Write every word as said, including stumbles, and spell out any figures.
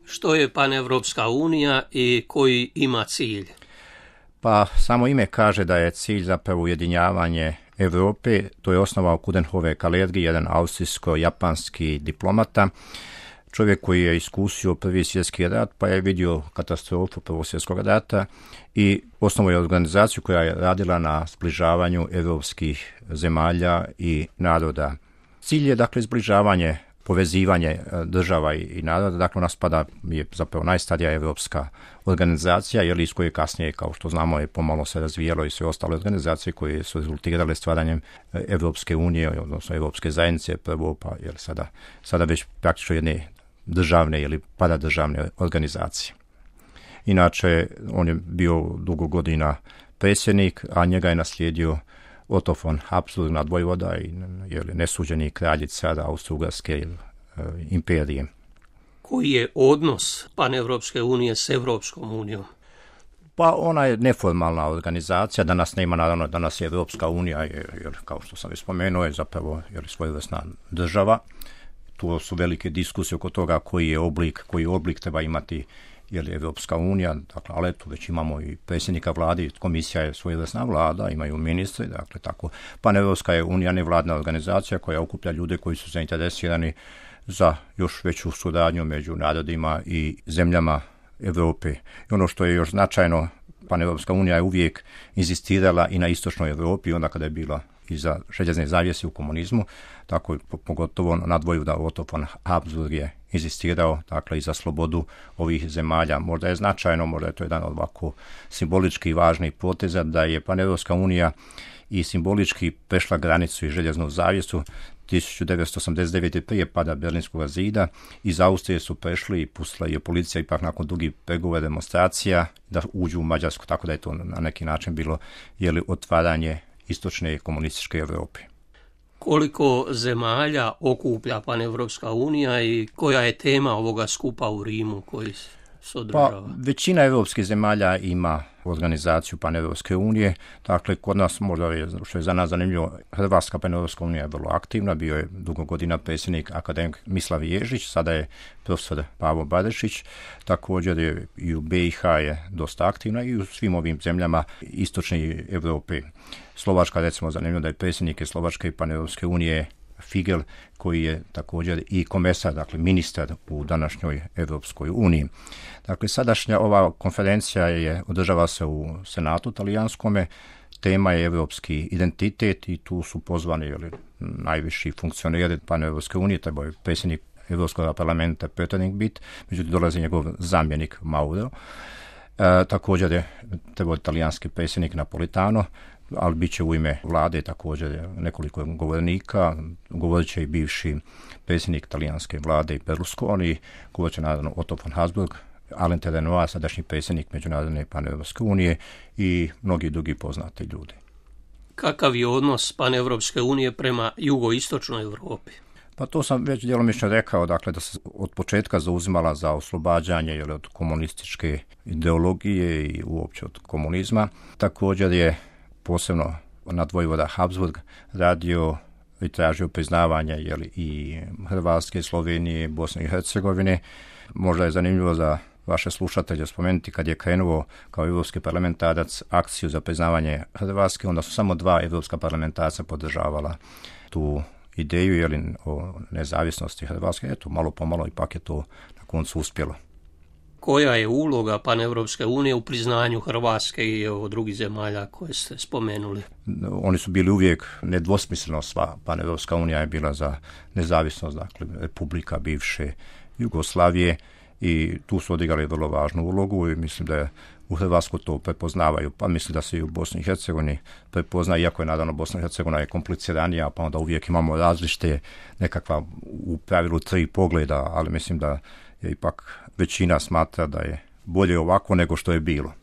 Što je Panevropska unija i koji ima cilj? Pa samo ime kaže da je cilj zapravo ujedinjavanje Europe. To je osnovao Coudenhove Kalergi, jedan austrijsko-japanski diplomata, čovjek koji je iskusio prvi svjetski rat, pa je vidio katastrofu prvog svjetskog rata i osnovao je organizaciju koja je radila na zbližavanju europskih zemalja i naroda. Cilj je dakle zbližavanje, povezivanje država i naroda. Dakle, nas pada je zapravo najstarija europska organizacija, jer iz koje kasnije, kao što znamo, je pomalo se razvijalo i sve ostale organizacije koje su rezultirale stvaranjem Europske unije, odnosno Europske zajednice prvo, pa jer sada, sada već praktično jedne državne ili paradržavne organizacije. Inače, on je bio dugo godina predsjednik, a njega je naslijedio Otto von Habsburg nadvojvoda i nesuđeni kralj car Austro-Ugarske imperije. Koji je odnos Panevropske unije s Evropskom unijom? Pa ona je neformalna organizacija, danas nema, naravno, danas je Evropska unija, jer, jer kao što sam već spomenuo, je zapravo jer svojevrsna država. Tu su velike diskusije oko toga koji je oblik, koji oblik treba imati jer je Evropska unija, dakle, ali tu već imamo i predsjednika vlade, komisija je svojevrsna vlada, imaju ministri, dakle tako. Panevropska je unija nevladna organizacija koja okuplja ljude koji su zainteresirani za još veću suradnju među narodima i zemljama Europe. I ono što je još značajno, Panevropska unija je uvijek inzistirala i na istočnoj Europi, onda kada je bila i za željezne zavjese u komunizmu, tako pogotovo nadvojvoda Otto von Habsburg je inzistirao, dakle, i za slobodu ovih zemalja. Možda je značajno, možda je to jedan od ovako simbolički važnih poteza da je Panevropska unija i simbolički prešla granicu i željeznu zavjesu tisuću devetsto osamdeset devete. prije pada Berlinskog zida. Iz Austrije su prešli i pustila je policija ipak nakon dugih pregovora demonstracija da uđu u Mađarsku, tako da je to na neki način bilo jeli, otvaranje istočne komunističke Europe. Koliko zemalja okuplja Panevropska unija i koja je tema ovoga skupa u Rimu koji se održava? Pa, većina europskih zemalja ima organizaciju Panevropske unije. Dakle, kod nas, možda je, što je za nas zanimljivo, Hrvatska Panevropska unija je vrlo aktivna. Bio je dugo godina predsjednik akademik Mislav Ježić, sada je profesor Pavo Barišić. Također je i u be i ha je dosta aktivna i u svim ovim zemljama istočne Europe. Slovačka, recimo, zanimljivo da je predsjednik Slovačke Panevropske unije Figel, koji je također i komesar, dakle ministar u današnjoj Europskoj uniji. Dakle, sadašnja ova konferencija je održava se u Senatu talijanskome. Tema je europski identitet i tu su pozvani jeli, najviši funkcioneri Paneuropske unije, trebao je predsjednik Europskog parlamenta Pöttering bit, međutim dolazi njegov zamjenik Mauro. E, također je trebao talijanski predsjednik Napolitano, ali bit će u ime vlade također nekoliko govornika, govorit će i bivši predsjednik talijanske vlade Berlusconi, govorit će naravno Otto von Habsburg, Alain Delanois, sadašnji predsjednik Međunarodne Paneuropske unije i mnogi drugi poznati ljudi. Kakav je odnos Paneuropske unije prema jugoistočnoj Europi? Pa to sam već djelomično rekao, dakle da se od početka zauzimala za oslobađanje ili od komunističke ideologije i uopće od komunizma. Također je posebno nadvojvoda Habsburg radio i tražio priznavanje jeli, i Hrvatske, Slovenije, Bosne i Hercegovine. Možda je zanimljivo za vaše slušatelje spomenuti kad je krenuo kao europski parlamentarac akciju za priznavanje Hrvatske, onda su samo dva europska parlamentarca podržavala tu ideju jeli, o nezavisnosti Hrvatske. Eto, malo pomalo ipak je to na koncu uspjelo. Koja je uloga Paneuropske unije u priznanju Hrvatske i evo, drugih zemalja koje ste spomenuli? Oni su bili uvijek nedvosmisleno sva. Paneuropska unija je bila za nezavisnost, dakle, republika bivše Jugoslavije i tu su odigrali vrlo važnu ulogu i mislim da je u Hrvatskoj to prepoznavaju, pa mislim da se i u Bosni i Hercegovini prepozna, iako je naravno Bosna i Hercegovina je kompliciranija, pa onda uvijek imamo različite nekakva u pravilu tri pogleda, ali mislim da je ipak većina smatra da je bolje ovako nego što je bilo.